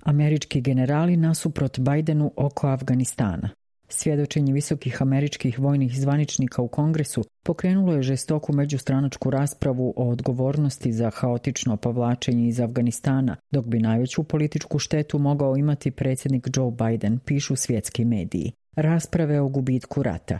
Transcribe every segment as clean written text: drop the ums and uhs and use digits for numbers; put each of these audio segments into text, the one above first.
Američki generali nasuprot Bidenu oko Afganistana. Svjedočenje visokih američkih vojnih zvaničnika u Kongresu pokrenulo je žestoku međustranačku raspravu o odgovornosti za haotično povlačenje iz Afganistana, dok bi najveću političku štetu mogao imati predsjednik Joe Biden, pišu svjetski mediji. Rasprave o gubitku rata.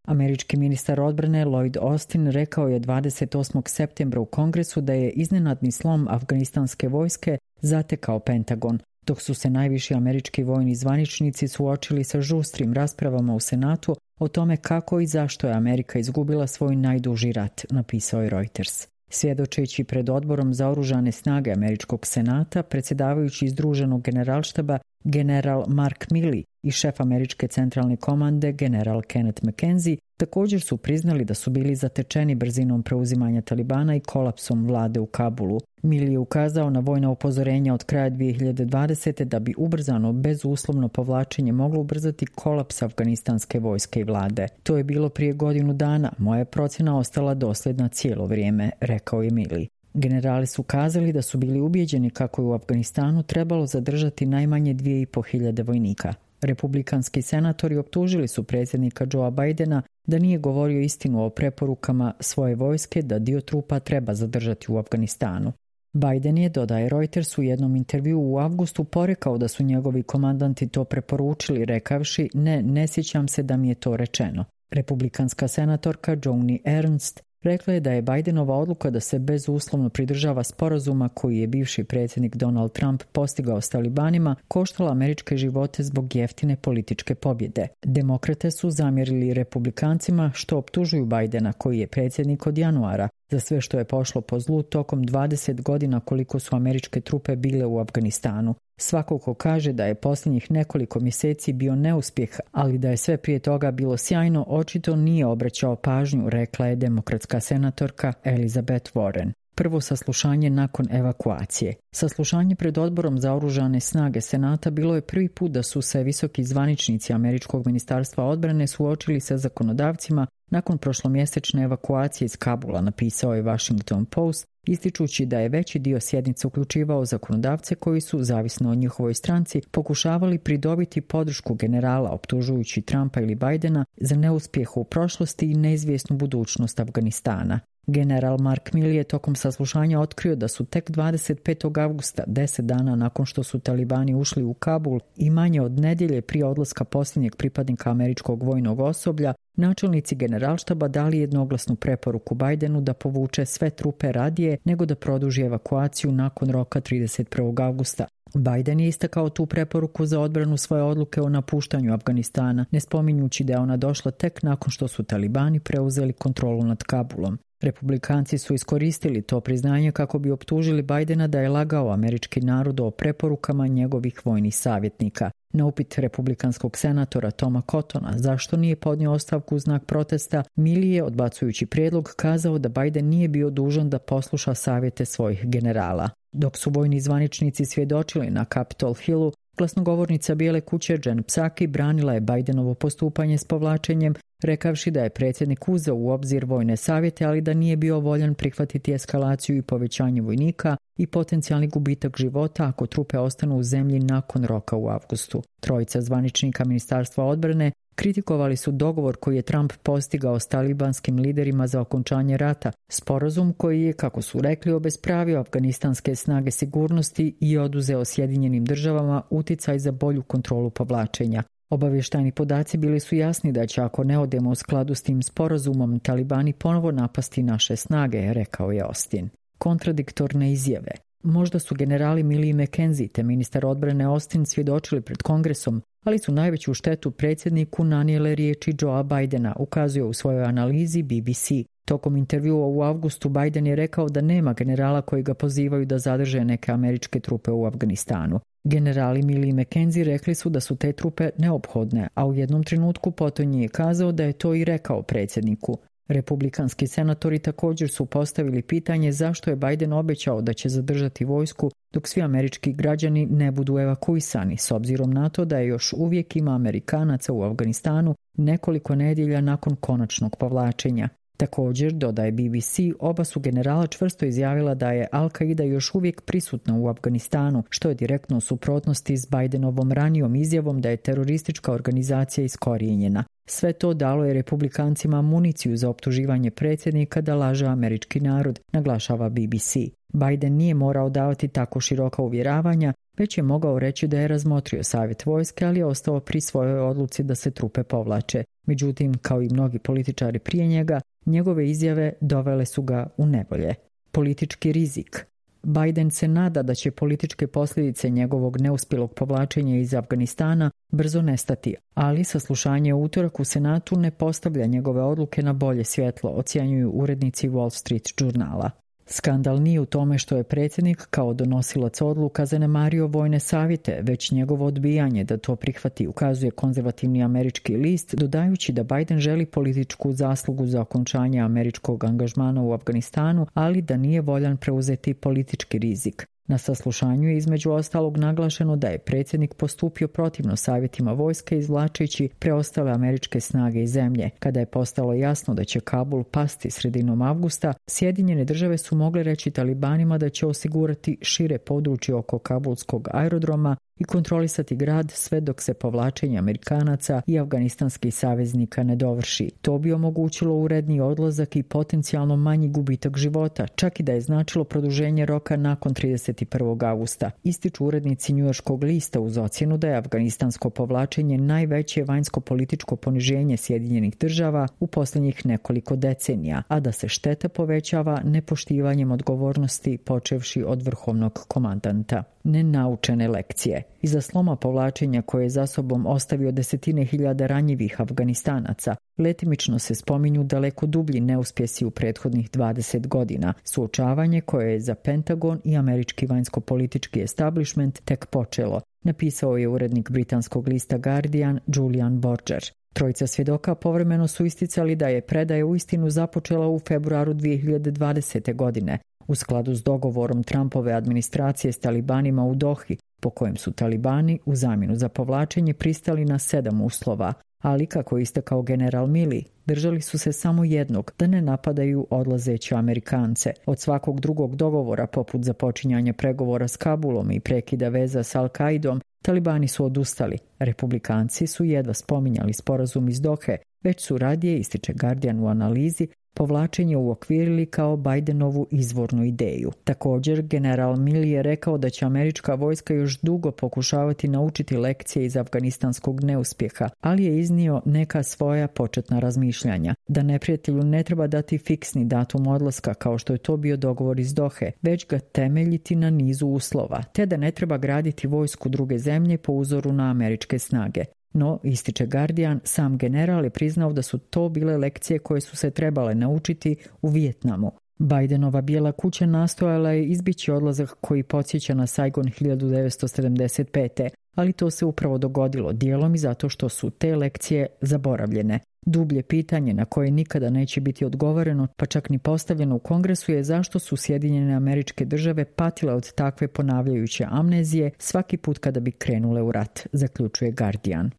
Američki ministar odbrane Lloyd Austin rekao je 28. septembra u Kongresu da je iznenadni slom afganistanske vojske zatekao Pentagon, dok su se najviši američki vojni zvaničnici suočili sa žustrim raspravama u Senatu o tome kako i zašto je Amerika izgubila svoj najduži rat, napisao je Reuters. Svjedočeći pred odborom za oružane snage američkog senata, predsjedavajući Združenog generalštaba general Mark Milley i šef američke centralne komande general Kenneth McKenzie također su priznali da su bili zatečeni brzinom preuzimanja Talibana i kolapsom vlade u Kabulu. Milley je ukazao na vojna upozorenja od kraja 2020. da bi ubrzano, bezuslovno povlačenje moglo ubrzati kolaps afganistanske vojske i vlade. To je bilo prije godinu dana, moja je procjena ostala dosljedna cijelo vrijeme, rekao je Milley. Generali su kazali da su bili ubijeđeni kako je u Afganistanu trebalo zadržati najmanje 2.500 vojnika. Republikanski senatori optužili su predsjednika Joea Bidena da nije govorio istinu o preporukama svoje vojske da dio trupa treba zadržati u Afganistanu. Biden je, dodaje Reuters, u jednom intervjuu u avgustu porekao da su njegovi komandanti to preporučili, rekavši ne sjećam se da mi je to rečeno. Republikanska senatorka Joni Ernst rekla je da je Bidenova odluka da se bezuslovno pridržava sporazuma koji je bivši predsjednik Donald Trump postigao s Talibanima koštala američke živote zbog jeftine političke pobjede. Demokrate su zamjerili republikancima što optužuju Bidena, koji je predsjednik od januara, za sve što je pošlo po zlu tokom 20 godina koliko su američke trupe bile u Afganistanu. Svako ko kaže da je posljednjih nekoliko mjeseci bio neuspjeh, ali da je sve prije toga bilo sjajno, očito nije obraćao pažnju, rekla je demokratska senatorka Elizabeth Warren. Prvo saslušanje nakon evakuacije. Saslušanje pred odborom za oružane snage Senata bilo je prvi put da su se visoki zvaničnici američkog ministarstva odbrane suočili sa zakonodavcima nakon prošlomjesečne evakuacije iz Kabula, napisao je Washington Post, ističući da je veći dio sjednice uključivao zakonodavce koji su, zavisno o njihovoj stranci, pokušavali pridobiti podršku generala, optužujući Trumpa ili Bidena za neuspjeh u prošlosti i neizvjesnu budućnost Afganistana. General Mark Milley je tokom saslušanja otkrio da su tek 25. avgusta, 10 dana nakon što su Talibani ušli u Kabul i manje od nedjelje prije odlaska posljednjeg pripadnika američkog vojnog osoblja, načelnici generalštaba dali jednoglasnu preporuku Bidenu da povuče sve trupe radije nego da produži evakuaciju nakon roka 31. avgusta. Biden je istakao tu preporuku za odbranu svoje odluke o napuštanju Afganistana, ne spominjući da je ona došla tek nakon što su Talibani preuzeli kontrolu nad Kabulom. Republikanci su iskoristili to priznanje kako bi optužili Bidena da je lagao američki narod o preporukama njegovih vojnih savjetnika. Na upit republikanskog senatora Toma Cottona zašto nije podnio ostavku u znak protesta, Milley je, odbacujući prijedlog, kazao da Biden nije bio dužan da posluša savjete svojih generala. Dok su vojni zvaničnici svjedočili na Capitol Hillu, glasnogovornica Bijele kuće Jen Psaki branila je Bidenovo postupanje s povlačenjem, rekavši da je predsjednik uzeo u obzir vojne savjete, ali da nije bio voljan prihvatiti eskalaciju i povećanje vojnika i potencijalni gubitak života ako trupe ostanu u zemlji nakon roka u avgustu. Trojica zvaničnika Ministarstva odbrane kritikovali su dogovor koji je Trump postigao s talibanskim liderima za okončanje rata, sporazum koji je, kako su rekli, obespravio afganistanske snage sigurnosti i oduzeo Sjedinjenim državama uticaj za bolju kontrolu povlačenja. Obavještajni podaci bili su jasni da će, ako ne odemo u skladu s tim sporazumom, Talibani ponovo napasti naše snage, rekao je Austin. Kontradiktorne izjave. Možda su generali Milley i McKenzie te ministar odbrane Austin svjedočili pred Kongresom, ali su najveću štetu predsjedniku nanijele riječi Joea Bidena, ukazuje u svojoj analizi BBC. Tokom intervjua u avgustu Biden je rekao da nema generala koji ga pozivaju da zadrže neke američke trupe u Afganistanu. Generali Milley i McKenzie rekli su da su te trupe neophodne, a u jednom trenutku potonji je kazao da je to i rekao predsjedniku. Republikanski senatori također su postavili pitanje zašto je Biden obećao da će zadržati vojsku dok svi američki građani ne budu evakuisani, s obzirom na to da je još uvijek ima Amerikanaca u Afganistanu nekoliko nedjelja nakon konačnog povlačenja. Također, dodaje BBC, oba su generala čvrsto izjavila da je Al-Qaida još uvijek prisutna u Afganistanu, što je direktno u suprotnosti s Bidenovom ranijom izjavom da je teroristička organizacija iskorijenjena. Sve to dalo je republikancima municiju za optuživanje predsjednika da laže američki narod, naglašava BBC. Biden nije morao davati tako široka uvjeravanja, već je mogao reći da je razmotrio savjet vojske, ali je ostao pri svojoj odluci da se trupe povlače. Međutim, kao i mnogi političari prije njega, njegove izjave dovele su ga u nevolje. Politički rizik. Biden se nada da će političke posljedice njegovog neuspjelog povlačenja iz Afganistana brzo nestati, ali saslušanje u utorak u Senatu ne postavlja njegove odluke na bolje svjetlo, ocjenjuju urednici Wall Street žurnala. Skandal nije u tome što je predsjednik kao donosilac odluka zanemario vojne savjete, već njegovo odbijanje da to prihvati, ukazuje konzervativni američki list, dodajući da Biden želi političku zaslugu za okončanje američkog angažmana u Afganistanu, ali da nije voljan preuzeti politički rizik. Na saslušanju je između ostalog naglašeno da je predsjednik postupio protivno savjetima vojske izvlačeći preostale američke snage iz zemlje. Kada je postalo jasno da će Kabul pasti sredinom avgusta, Sjedinjene države su mogle reći talibanima da će osigurati šire područje oko kabulskog aerodroma i kontrolisati grad sve dok se povlačenje Amerikanaca i afganistanskih saveznika ne dovrši. To bi omogućilo uredni odlazak i potencijalno manji gubitak života, čak i da je značilo produženje roka nakon 31. augusta. Ističu urednici njujorškog lista uz ocjenu da je afganistansko povlačenje najveće vanjsko-političko poniženje Sjedinjenih država u posljednjih nekoliko decenija, a da se šteta povećava nepoštivanjem odgovornosti počevši od vrhovnog komandanta. Nenaučene lekcije. Iza sloma povlačenja koje je za sobom ostavio desetine hiljada ranjivih Afganistanaca, letimično se spominju daleko dublji neuspjesi u prethodnih 20 godina, suočavanje koje je za Pentagon i američki vanjsko-politički establishment tek počelo, napisao je urednik britanskog lista Guardian Julian Borger. Trojica svjedoka povremeno su isticali da je predaja uistinu započela u februaru 2020. godine, u skladu s dogovorom Trumpove administracije s talibanima u Dohi, po kojem su talibani u zamjenu za povlačenje pristali na 7 uslova, ali kako je istakao general Milley, držali su se samo jednog, da ne napadaju odlazeće Amerikance. Od svakog drugog dogovora, poput započinjanja pregovora s Kabulom i prekida veza s Al-Qaidom, talibani su odustali. Republikanci su jedva spominjali sporazum iz Dohe, već su radije, ističe Guardian u analizi, povlačenje uokvirili kao Bidenovu izvornu ideju. Također, general Milley je rekao da će američka vojska još dugo pokušavati naučiti lekcije iz afganistanskog neuspjeha, ali je iznio neka svoja početna razmišljanja. Da neprijatelju ne treba dati fiksni datum odlaska kao što je to bio dogovor iz Dohe, već ga temeljiti na nizu uslova, te da ne treba graditi vojsku druge zemlje po uzoru na američke snage. No, ističe Guardian, sam general je priznao da su to bile lekcije koje su se trebale naučiti u Vijetnamu. Bidenova bijela kuća nastojala je izbjeći odlazak koji podsjeća na Saigon 1975. Ali to se upravo dogodilo, dijelom i zato što su te lekcije zaboravljene. Dublje pitanje na koje nikada neće biti odgovoreno, pa čak ni postavljeno u Kongresu, je zašto su Sjedinjene Američke Države patile od takve ponavljajuće amnezije svaki put kada bi krenule u rat, zaključuje Guardian.